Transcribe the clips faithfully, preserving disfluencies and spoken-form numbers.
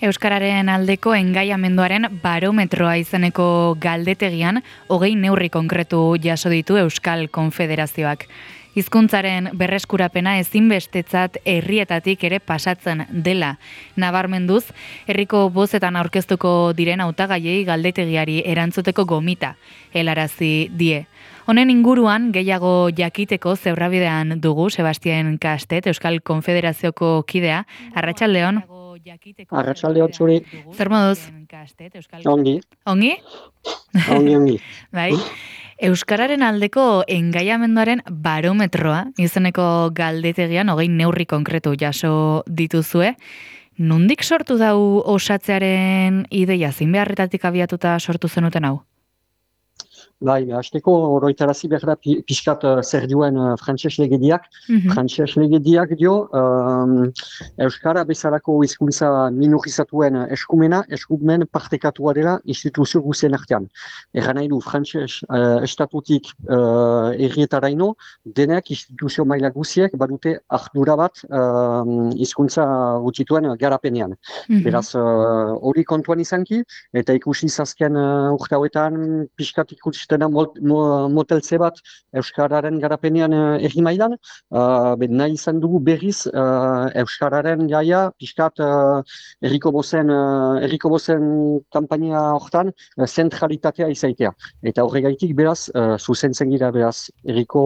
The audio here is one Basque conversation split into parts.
Euskararen aldeko engaiamenduaren barometroa izeneko galdetegian hogei neurri konkretu jaso ditu Euskal Konfederazioak. Hizkuntzaren berreskurapena ezinbestetzat herrietatik ere pasatzen dela nabarmenduz, herriko bozetan aurkeztuko diren hautagaiei galdetegiari erantzuteko gomita helarazi die. Honen inguruan gehiago jakiteko zebrabidean dugu Sebastian Kastet, Euskal Konfederazioko kidea. Arratsaldeon. Arratsaldeon zuri. Zer moduz? Ongi. Ongi? Ongi, ongi. Bai. Euskararen aldeko engaiamenduaren barometroa izeneko galdetegian hogei neurri konkretu jaso dituzue. Nondik sortu dau osatzearen ideia, zein beharretatik abiatuta sortu zenuten hau? Bai, hasteko oroitarazi behar da pi- pixkat uh, zer duen uh, frantses legediak. Mhm. Frantses legediak dio, um, Euskara bezalako hizkuntza minorizatuen eskumena, eskumen partekatua dela instituzio guzien artean. Erran nahi du, frantses uh, estatutik uh, errietaraino, denek instituzio maila guziek badute ardura bat um, hizkuntza gutxituen garapenean. Mhm. Beraz, uh, hori kontuan izanki, eta ikusi zazken uh, urte hauetan pixkat ikusten dena mot, mo, moteltze bat Euskararen garapenean uh, erri mailan, uh, ben nahi izan dugu berriz uh, Euskararen gaia pixkat uh, erriko bozen, uh, erriko bozen kampania hortan uh, zentralitatea izaitea. Eta horregaitik beraz, uh, zuzentzen gira beraz, erriko,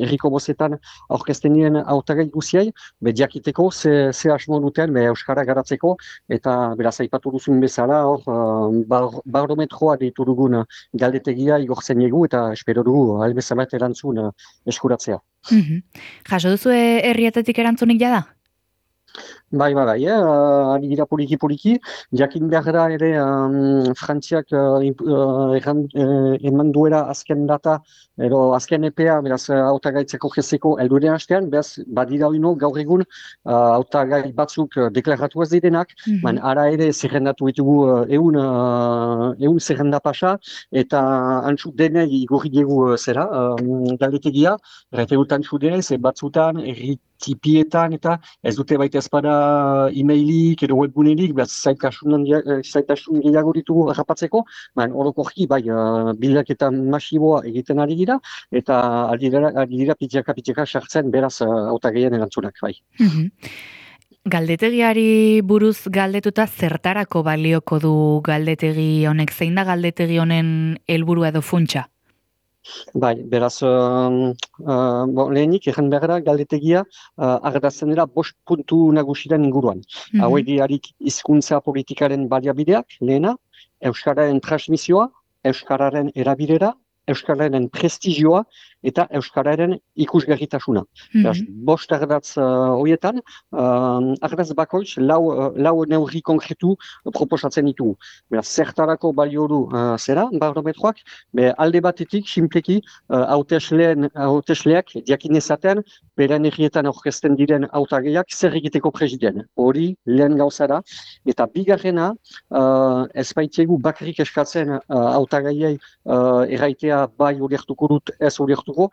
erriko bozetan aurkezten diren hautagai guziei, be jakiteko ze, ze asmo duten be Euskara garatzeko, eta beraz aipatu duzun bezala, hor, uh, bar, barometroa deitu dugun galdetegia igortzen egu eta espero dugu albezabat erantzun uh, eskuratzea. Mhm. Jaso duzu herrietatik erantzunik jada? Bai, bai, bai, eh? uh, ari gira poliki-poliki, jakin behar da ere um, Frantziak uh, uh, erran, uh, eman duela azken data, ero azken epea, beraz, hautagaitzeko jezeko elduren hastean, beraz, badira oino gaur egun hautagai uh, batzuk uh, deklaratu ez direnak, Mhm. man ara ere zerrendatu ditugu uh, eun, uh, eun zerrenda pasa, eta antzu denei igorri diegu uh, zera, um, galdetegia, referut antzu denei, ze batzutan, erritipietan, eta ez dute baita ezpada e-mailik edo webgunerik, behaz zaitasun gehiago ditugu rapatzeko, baina orokorki bai uh, bilaketa masiboa egiten ari dira, eta ari dira, ari dira pitxaka-pitxaka sartzen beraz uh, hautagaien erantzunak, bai. Mhm. Galdetegiari buruz galdetuta zertarako balioko du galdetegi honek, zein da galdetegi honen helburua edo funtsa? Bai, beraz, uh, uh, bo, lehenik, egin behar da, galdetegia uh, ardatzen dira bost puntu nagusiren inguruan. Mhm. Hauek diarik hizkuntza politikaren baliabideak, lehena, Euskararen transmisioa, Euskararen erabilera, Euskararen prestigioa eta Euskararen ikusgarritasuna. Mhm. Beraz, bost ardatz uh, horietan, uh, ardatz bakoitz lau, uh, lau neurri konkretu proposatzen ditugu. Beraz, zertarako balio du uh, zera, barometroak, be alde batetik, simpleki, uh, hautesleen, hautesleak diakinezaten, beren herrietan aurkezten diren hautagaiak zer egiteko presiden. Hori lehen gauza da, eta bigarrena, uh, ez baitegu bakarrik eskatzen uh, hautagaiei uh, erraitea bai hori hartuko dut, ez hori hartuko,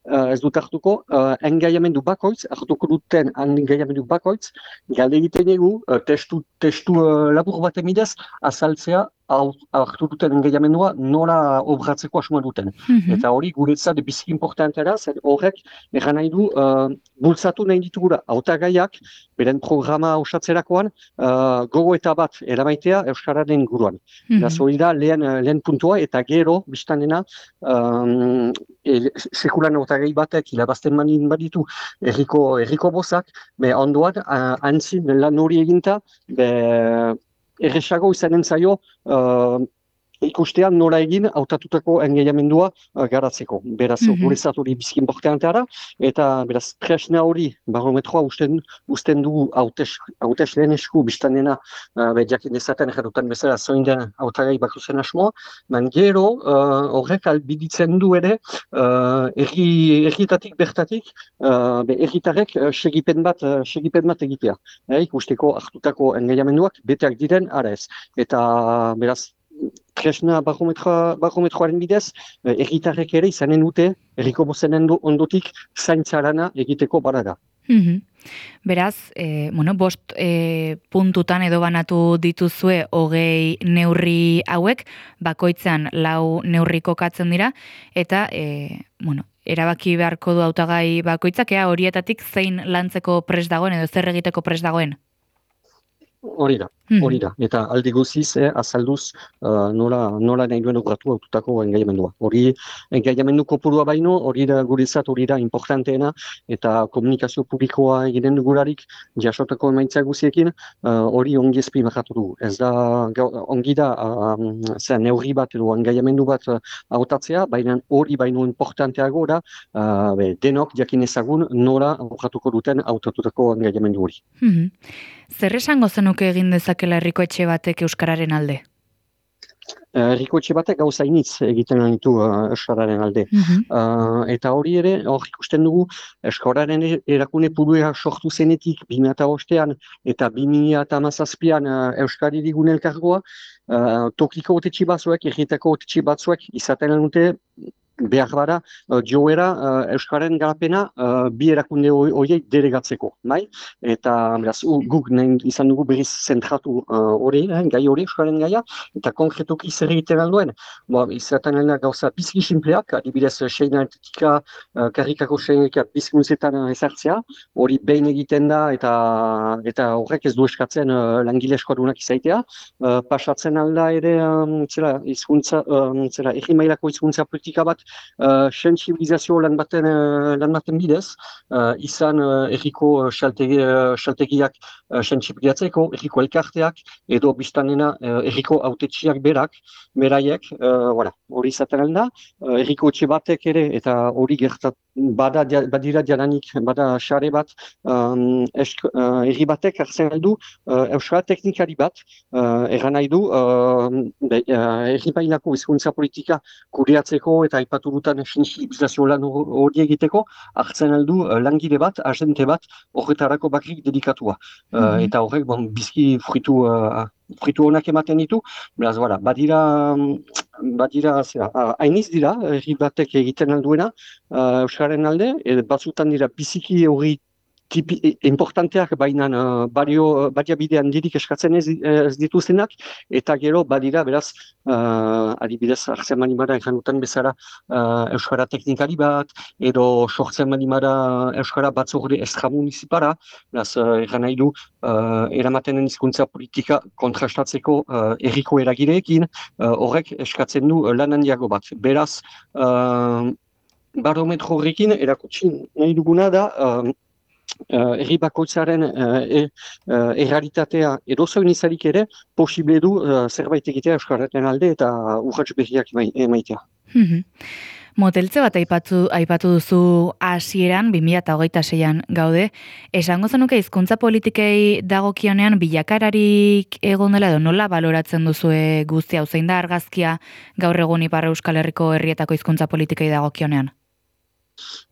uh, ez dut hartuko, uh, engaiamendu bakoitz, hartuko duten engaiamendu bakoitz, galde egiten egu, uh, testu, testu uh, labur baten bidez, azaltzea hartu duten engaiamendua nola obratzeko asmoa duten. Mhm. Eta hori guretzat biziki importantea da, zer horrek erran nahi du uh, bultzatu nahi ditugura hautagaiak beren programa osatzerakoan uh, gogo eta bat eramaitea Euskararen inguruan. Mhm. Beraz, hori da lehen, lehen puntua eta gero biztanena um, e, sekulan hautagai batek hilabazten manin baditu erriko, erriko bozak, be ondoan uh, antzin lan hori eginta, be erresago izanen zaio uh, ikustean nola egin hautatutako engaiamendua uh, garatzeko. Beraz, Mhm. guretzat hori biziki importantea da, eta beraz, tresna hori, barometroa usten, usten dugu hautes, hautes lehen esku biztanena, uh, be, jakin dezaten erradutan bezala zoin den hautagai bakuzen asmoa, man gero uh, horrek albiditzen du ere, uh, erri, erritatik bertatik, uh, be, erritarek uh, segipen bat, uh, segipen bat egitea. Eh, ikusteko hartutako engaiamenduak beteak diren, ara ez. Eta beraz, tresna barometroa, barometroaren bidez, herritarrek ere izanen dute, herriko bozenen ondotik zaintza lana egiteko baraga. Mhm. Beraz, e, bueno, bost e, puntutan edo banatu dituzue hogei neurri hauek, bakoitzan lau neurri kokatzen dira, eta, e, bueno, erabaki beharko du hautagai bakoitzak, ea horietatik zein lantzeko prest dagoen edo zer egiteko prest dagoen. Hori da, hori da. Eta aldi guziz, eh, azalduz, uh, nola, nola nahi duen urratu aututako engaiamendua. Hori engaiamendu kopurua baino, hori da gurizat, hori da importanteena, eta komunikazio publikoa egiten dugularik, jasotako emaitza guziekin, hori uh, ongi ezpimahatu dugu. Ez da, ongi da, um, zer, neurri bat edo engaiamendu bat uh, hautatzea, baina hori baino importanteago da, uh, be, denok jakin ezagun nola urratuko duten hautatutako engaiamendu hori. Zer esango zenuke egin dezakela herriko etxe batek euskararen alde? Herriko etxe batek gauza initz egiten ditu uh, euskararen alde. Mm-hmm. Uh, eta hori ere, hor ikusten dugu, euskararen erakune pulua sortu zenetik bi mila bostean eta bi mila hamazazpian uh, Euskari Digun elkargoa, uh, tokiko otetxe batzuek, erritako otetxe batzuek izaten dute behar bada, uh, joera uh, Euskararen garapena uh, bi erakunde horiek delegatzeko, bai? Eta beraz, uh, guk nahi izan dugu berriz zentratu hori, uh, eh, gai hori Euskararen gaia, eta konkretuki zer egiten alduen. Bo, izaten alda gauza bizki simpleak, adibidez seinaetika, uh, karrikako seinaikat bizkuntzetan uh, ezartzea, hori behin egiten da, eta eta horrek ez du eskatzen uh, langile eskodunak izaitea, uh, pasatzen alda ere, um, zera, izkuntza, um, zera, erri mailako izkuntza politika bat, Uh, sensibilizazio lan baten, uh, lan baten bidez, uh, izan uh, erriko xaltegi, uh, xaltegiak uh, sensibilizatzeko, erriko elkarteak, edo biztanena uh, erriko autetxiak berak, beraiek, uh, voilà, hori izaten alda, uh, erriko etxe batek ere, eta hori gertat, bada, badira jalanik, bada xare bat, um, esk, uh, erri batek hartzen aldu, uh, euskara teknikari bat, uh, erran nahi du, uh, uh, erri bailako hizkuntza politika kudeatzeko eta ipaturutan sensibilizazio lan hori egiteko, hartzen aldu uh, langile bat, agente bat, horretarako bakrik dedikatua. Uh, mm-hmm. Eta horrek, bon, bizki fritu, uh, fritu honak ematen ditu, beraz, voilà, badira, badira, zera, hainiz dira, herri batek egiten alduena, uh, Euskararen alde, e, batzutan dira biziki hori tipi, importanteak, baina uh, bario, bariabidean dirik eskatzen ez, ez dituztenak, eta gero badira, beraz, uh, adibidez, hartzen manimara erranutan bezala uh, Euskara teknikari bat, edo sortzen manimara Euskara batzorde extramunicipara, beraz, uh, erran nahi du, uh, eramatenen hizkuntza politika kontrastatzeko uh, erriko eragileekin, uh, horrek eskatzen du uh, lan handiago bat. Beraz, uh, barometro horrekin erakutsi nahi duguna da, uh, Uh, erri bakoitzaren uh, e, uh, errealitatea edozoin izarik ere posible du uh, zerbait egitea Euskararen alde eta urrats berriak emaitea. Moteltze bat aipatu, aipatu duzu hasieran bi mila hogeita seian gaude. Esango zenuke hizkuntza politikei dagokionean bilakararik egon dela edo nola baloratzen duzue guztia, zein da argazkia gaur egun Ipar Euskal Herriko herrietako hizkuntza politikei dagokionean?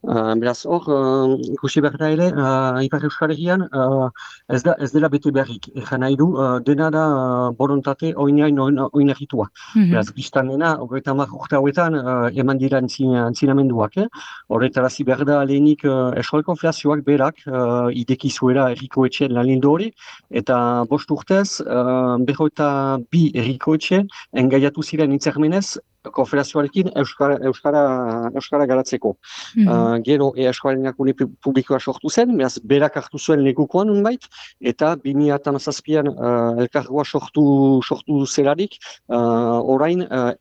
Uh, beraz, hor, uh, ikusi behar da ere, uh, Ipar Euskal Herrian, uh, ez, da, ez dela bete beharrik. Egan nahi du, uh, dena da uh, borontate oinain oinarritua. Mm-hmm. Beraz, biztan dena, horreta mar urte hauetan, uh, eman dira antzinamenduak. Eh? Horretarazi behar da lehenik uh, eskual konflazioak berak, uh, idekizuera erriko etxeen lalindu hori, eta bost urtez, uh, beho eta bi erriko etxe, engaiatu ziren itzermenez, konfederazioarekin Euskara, Euskara, Euskara garatzeko. Mm-hmm. Uh, gero e Euskararen erakune publikoa sortu zen, beraz berak hartu zuen lekukoan unbait, eta bi mila hamazazpian uh, elkargoa sortu, sortu zelarik, uh, orain uh,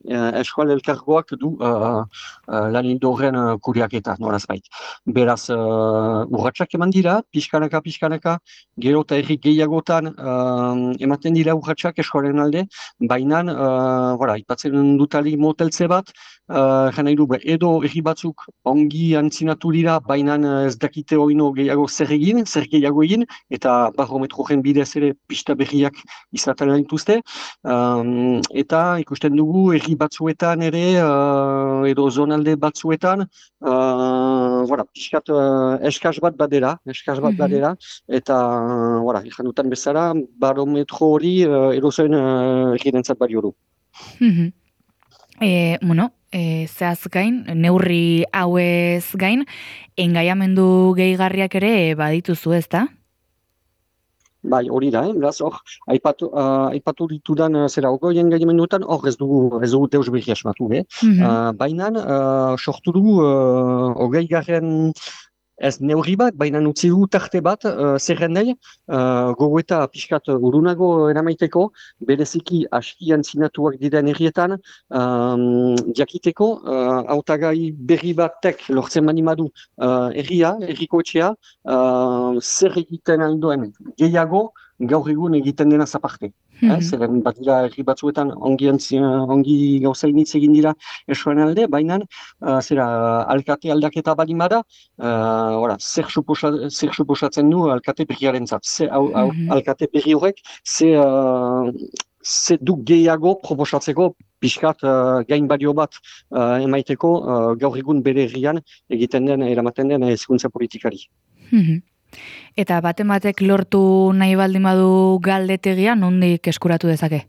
Euskal elkargoak du uh, uh, lanildo horren uh, kuriaketa, noraz bait. Beraz, uh, urratsak eman dira, pixkanaka, pixkanaka, gero eta errik gehiagotan uh, ematen dira urratsak Euskararen alde, baina, uh, voilà, ipatzen dutali moteltze bat, uh, jana iru, edo erri batzuk ongi antzinatu dira, baina ez dakite oino gehiago zer egin, zer gehiago egin, eta barometroen bidez ere pista berriak izaten dituzte. Um, eta ikusten dugu erri batzuetan ere, uh, edo zonalde batzuetan, uh, voilà, piskat uh, eskaz bat badera, eskaz bat badera, eta, uh, voilà, ikan dutan bezala, barometro hori uh, edo zen uh, erri dentzat balio du. E, bueno, e, zehaz gain, neurri hauez gain, engaiamendu gehigarriak ere badituzu, ez da? Bai, hori da, eh? Beraz, hor, aipatu, uh, aipatu ditudan, uh, zera, ogoien gaimenduetan, hor ez dugu, ez dugu deus berri asmatu, eh? Mhm. Uh, baina, uh, sortu dugu, uh, ogei garren ez neurri bat, baina utzi du tarte bat, uh, zerrendei, uh, gogoeta pixkat urunago eramaiteko, bereziki askian zinatuak diren herrietan, um, jakiteko, uh, hautagai berri batek lortzen mani madu uh, herria, herriko etxea, uh, zer egiten aldoen gehiago, gaur egun egiten dena zaparte. Eh, Mhm. zeren bat dira herri batzuetan ongi, antzi, ongi gauzainitz egin dira esoen alde, baina uh, zera alkate aldaketa bali bada, Uh, ora, zer, suposa, zer suposatzen du alkate berriaren zat. Ze, au, au, Mhm. alkate berri horrek, ze, uh, ze du gehiago proposatzeko pixkat uh, gain badio bat uh, emaiteko uh, gaur egun bere herrian egiten den, eramaten den hezkuntza politikari. Mhm. Eta baten batek lortu nahi baldin badu galdetegia, nondik eskuratu dezake?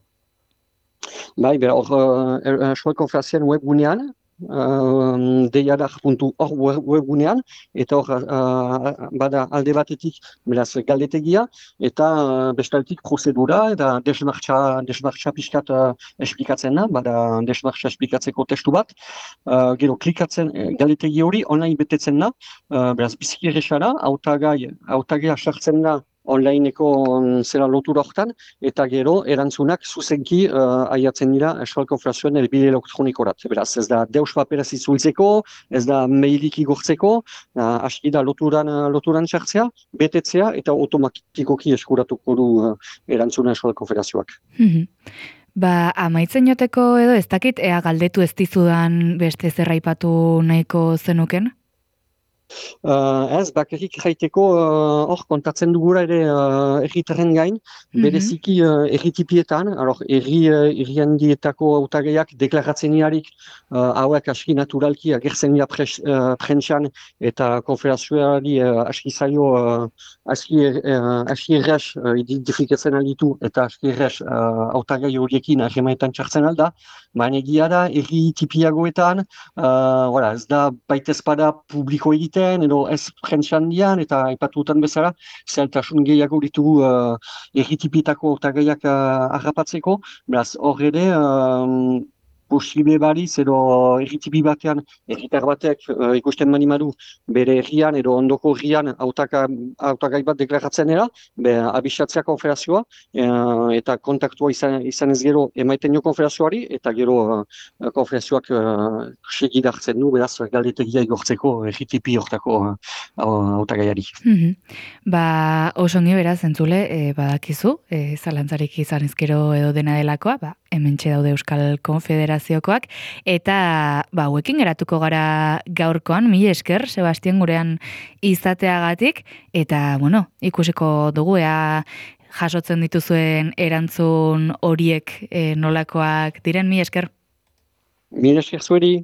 Bai, be, hor, uh, Eskual Konferenzian webgunean, uh, deiadar puntu org webgunean, eta hor, uh, bada alde batetik, beraz, galdetegia, eta uh, bestaltik prozedura, eta desmartxa, desmartxa pixkat uh, esplikatzen da, bada desmartxa esplikatzeko testu bat, uh, gero klikatzen, eh, galdetegi hori online betetzen da, uh, beraz, biziki errexara, hautagai, hautagia sartzen da, onlineko um, zera lotura hortan, eta gero erantzunak zuzenki uh, aiatzen dira Euskal Konferenzioen helbide elektronikorat. Beraz, ez da deus paperaz itzultzeko, ez da mailik igortzeko, uh, aski da loturan, uh, loturan sartzea, betetzea, eta automatikoki eskuratuko du uh, erantzuna Euskal Konferenzioak. Mhm. Ba, amaitzen joteko edo ez dakit, ea galdetu ez dizudan beste zerraipatu nahiko zenuken? Uh, ez, bakarrik jaiteko uh, hor kontatzen dugura ere uh, erritarren gain, Mhm. bereziki uh, erritipietan, alor, erri, uh, erriandietako autagaiak deklaratzen iarik uh, hauek aski naturalki agertzen dira pres, uh, prentxan eta konferazioari uh, aski zaio uh, aski, uh, aski erres uh, identifikatzen alditu eta aski erres uh, autagai horiekin ahemaetan txartzen alda, baina egia da erri tipiagoetan uh, voilà, ez da baitezpada publiko egiten, edo ez prentxan dian, eta aipatutan bezala, zeltasun gehiago ditugu uh, erritipitako otagaiak uh, harrapatzeko, beraz, hor ere, um, posible baliz, edo erritipi batean, erritar batek uh, ikusten mani madu, bere herrian, edo ondoko herrian autagai bat deklaratzen dela, be, abisatzea konferazioa, uh, eta kontaktua izan, izan ez gero emaiten jo konferazioari, eta gero uh, konferenzioak uh, segidartzen du, beraz, galdetegia igortzeko erritipi hortako hautagaiari. Mhm. Ba, osongi beraz, entzule, e, badakizu, e, zalantzarik izan ezkero edo dena delakoa, ba, hementxe daude Euskal Konfederaziokoak, eta ba, hauekin geratuko gara gaurkoan, mila esker, Sebastian gurean izateagatik, eta, bueno, ikusiko dugu, ea jasotzen dituzuen erantzun horiek e, nolakoak diren, mila esker. Mila esker zueri.